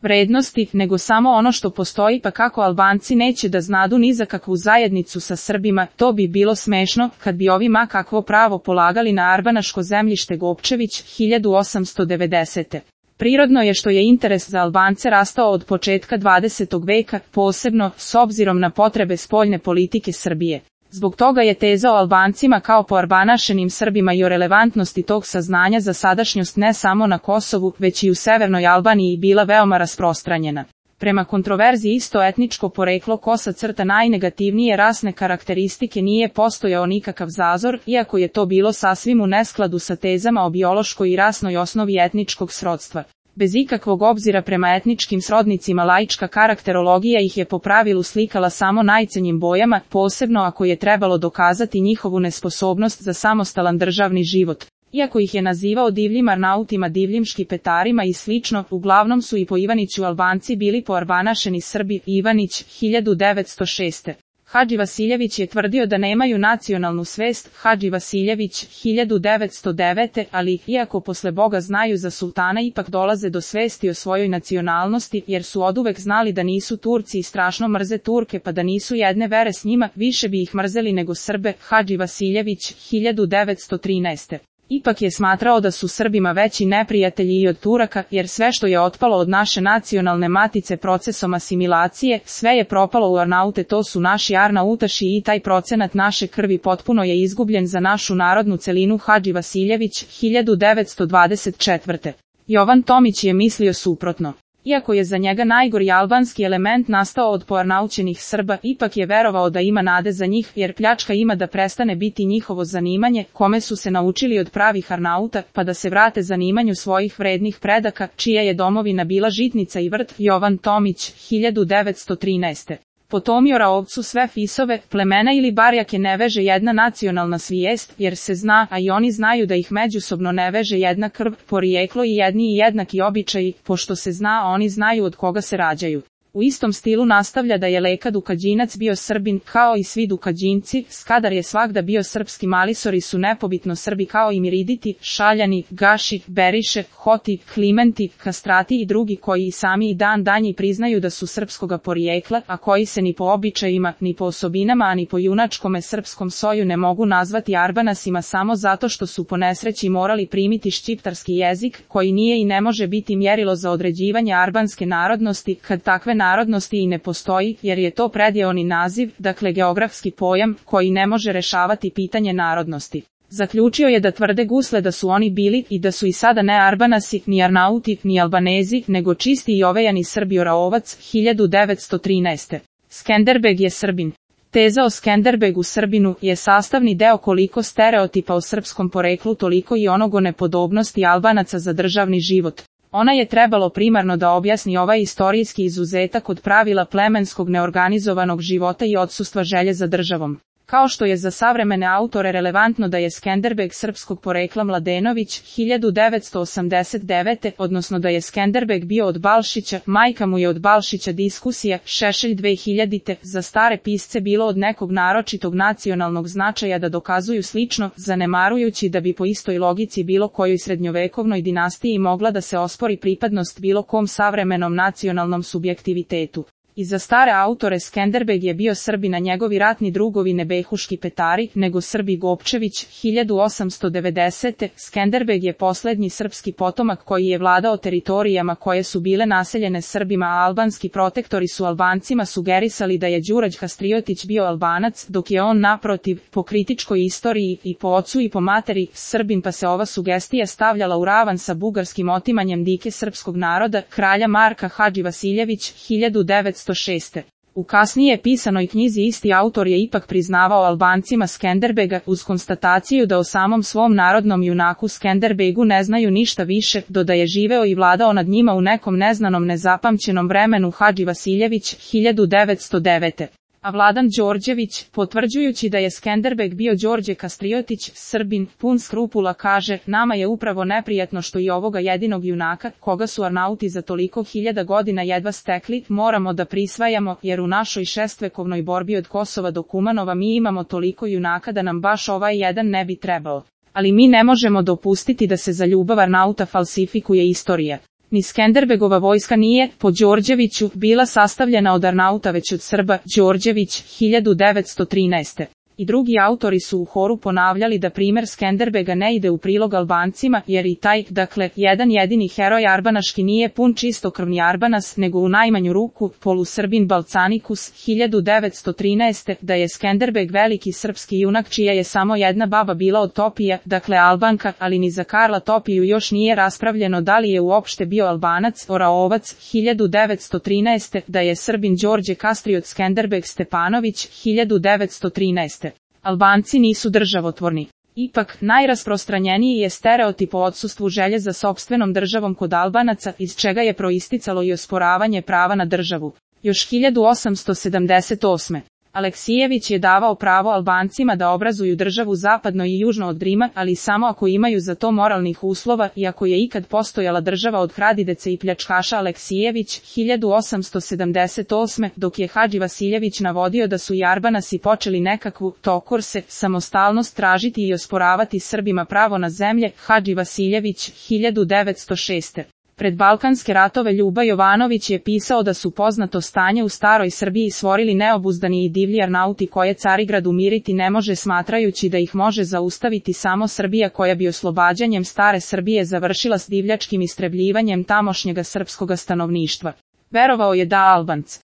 vrednosti, nego samo ono što postoji, pa kako Albanci neće da znadu ni za kakvu zajednicu sa Srbima, to bi bilo smešno, kad bi ovi ma kakvo pravo polagali na arbanaško zemljište Gopčević, 1890. Prirodno je što je interes za Albance rastao od početka 20. veka, posebno, s obzirom na potrebe spoljne politike Srbije. Zbog toga je teza o Albancima kao po arbanašenim Srbima i o relevantnosti tog saznanja za sadašnjost ne samo na Kosovu, već i u severnoj Albaniji bila veoma rasprostranjena. Prema kontroverziji isto etničko poreklo kosa crta najnegativnije rasne karakteristike nije postojao nikakav zazor, iako je to bilo sasvim u neskladu sa tezama o biološkoj i rasnoj osnovi etničkog srodstva. Bez ikakvog obzira prema etničkim srodnicima laička karakterologija ih je po pravilu slikala samo najcenjim bojama, posebno ako je trebalo dokazati njihovu nesposobnost za samostalan državni život. Iako ih je nazivao divljim Arnautima, divljim Škipetarima i slično, uglavnom su i po Ivaniću Albanci bili poarbanašeni Srbi. Ivanić, 1906. Hadži Vasiljević je tvrdio da nemaju nacionalnu svest. Hadži Vasiljević, 1909. Ali, iako posle Boga znaju za sultana, ipak dolaze do svesti o svojoj nacionalnosti, jer su oduvek znali da nisu Turci i strašno mrze Turke, pa da nisu jedne vere s njima, više bi ih mrzeli nego Srbe. Hadži Vasiljević, 1913. Ipak je smatrao da su Srbima veći neprijatelji i od Turaka, jer sve što je otpalo od naše nacionalne matice procesom asimilacije, sve je propalo u Arnaute, to su naši Arnautaši i taj procenat naše krvi potpuno je izgubljen za našu narodnu celinu. Hadži Vasiljević, 1924. Jovan Tomić je mislio suprotno. Iako je za njega najgori albanski element nastao od poarnaućenih Srba, ipak je verovao da ima nade za njih, jer pljačka ima da prestane biti njihovo zanimanje, kome su se naučili od pravih Arnauta, pa da se vrate zanimanju svojih vrednih predaka, čija je domovina bila žitnica i vrt. Jovan Tomić, 1913. Potomio ovcu sve fisove, plemena ili barjake ne veže jedna nacionalna svijest, jer se zna, a i oni znaju da ih međusobno ne veže jedna krv, porijeklo i jedni i jednaki običaji, pošto se zna, a oni znaju od koga se rađaju. U istom stilu nastavlja da je Leka Dukađinac bio Srbin, kao i svi Dukađinci, Skadar je svagda bio srpski, Malisori su nepobitno Srbi kao i Miriditi, Šaljani, Gaši, Beriše, Hoti, Klimenti, Kastrati i drugi koji i sami i dan danji priznaju da su srpskoga porijekla, a koji se ni po običajima, ni po osobinama, a ni po junačkome srpskom soju ne mogu nazvati Arbanasima samo zato što su po nesreći morali primiti šćiptarski jezik, koji nije i ne može biti mjerilo za određivanje arbanske narodnosti, kad takve narodnosti i ne postoji, jer je to predjeoni naziv, dakle geografski pojam, koji ne može rešavati pitanje narodnosti. Zaključio je da tvrde Gusle da su oni bili i da su i sada ne Arbanasi, ni Arnauti, ni Albanezi, nego čisti i ovejani Srbi. Oraovac, 1913. Skenderbeg je Srbin. Teza o Skenderbegu Srbinu je sastavni deo koliko stereotipa o srpskom poreklu, toliko i onog o nepodobnosti Albanaca za državni život. Ona je trebalo primarno da objasni ovaj istorijski izuzetak od pravila plemenskog neorganizovanog života i odsustva želje za državom. Kao što je za savremene autore relevantno da je Skenderbeg srpskog porekla Mladenović, 1989. odnosno da je Skenderbeg bio od Balšića, majka mu je od Balšića. Diskusija, Šešelj 2000. Za stare pisce bilo od nekog naročitog nacionalnog značaja da dokazuju slično, zanemarujući da bi po istoj logici bilo kojoj srednjovekovnoj dinastiji mogla da se ospori pripadnost bilo kom savremenom nacionalnom subjektivitetu. I za stare autore Skenderbeg je bio Srbin, a njegovi ratni drugovi ne behu Škipetari, nego Srbi. Gopčević, 1890. Skenderbeg je poslednji srpski potomak koji je vladao teritorijama koje su bile naseljene Srbima, a albanski protektori su Albancima sugerisali da je Đurađ Hastriotić bio Albanac, dok je on naprotiv, po kritičkoj istoriji i po ocu i po materi, Srbin, pa se ova sugestija stavljala u ravan sa bugarskim otimanjem dike srpskog naroda, kralja Marka. Hadži Vasiljević, 1906. U kasnije pisanoj knjizi isti autor je ipak priznavao Albancima Skenderbega, uz konstataciju da o samom svom narodnom junaku Skenderbegu ne znaju ništa više, do da je živeo i vladao nad njima u nekom neznanom nezapamćenom vremenu. Hadži Vasiljević, 1909. A Vladan Đorđević, potvrđujući da je Skenderbeg bio Đorđe Kastriotić, Srbin, pun skrupula, kaže: nama je upravo neprijatno što i ovoga jedinog junaka, koga su Arnauti za toliko hiljada godina jedva stekli, moramo da prisvajamo, jer u našoj šestvekovnoj borbi od Kosova do Kumanova mi imamo toliko junaka da nam baš ovaj jedan ne bi trebao. Ali mi ne možemo dopustiti da se za ljubav Arnauta falsifikuje istorija. Ni Skenderbegova vojska nije, po Đorđeviću, bila sastavljena od Arnauta već od Srba, Đorđević, 1913. I drugi autori su u horu ponavljali da primer Skenderbega ne ide u prilog Albancima, jer i taj, dakle, jedan jedini heroj arbanaški nije pun čistokrvni Arbanas, nego u najmanju ruku, polusrbin Balcanikus, 1913. Da je Skenderbeg veliki srpski junak čija je samo jedna baba bila od Topija, dakle Albanka, ali ni za Karla Topiju još nije raspravljeno da li je uopšte bio Albanac, Oraovac, 1913. Da je Srbin Đorđe Kastriot Skenderbeg Stepanović, 1913. Albanci nisu državotvorni. Ipak, najrasprostranjeniji je stereotip o odsustvu želje za sopstvenom državom kod Albanaca, iz čega je proisticalo i osporavanje prava na državu. Još 1878. Aleksijević je davao pravo Albancima da obrazuju državu zapadno i južno od Rima, ali samo ako imaju za to moralnih uslova i ako je ikad postojala država od kradideca i pljačkaša. Aleksijević, 1878. Dok je Hadži Vasiljević navodio da su i Arbanasi počeli nekakvu tokorse, samostalnost tražiti i osporavati Srbima pravo na zemlje, Hadži Vasiljević, 1906. Pred Balkanske ratove Ljuba Jovanović je pisao da su poznato stanje u staroj Srbiji stvorili neobuzdani i divlji Arnauti koje Carigrad umiriti ne može, smatrajući da ih može zaustaviti samo Srbija koja bi oslobađanjem stare Srbije završila s divljačkim istrebljivanjem tamošnjega srpskoga stanovništva. Verovao je da Albanci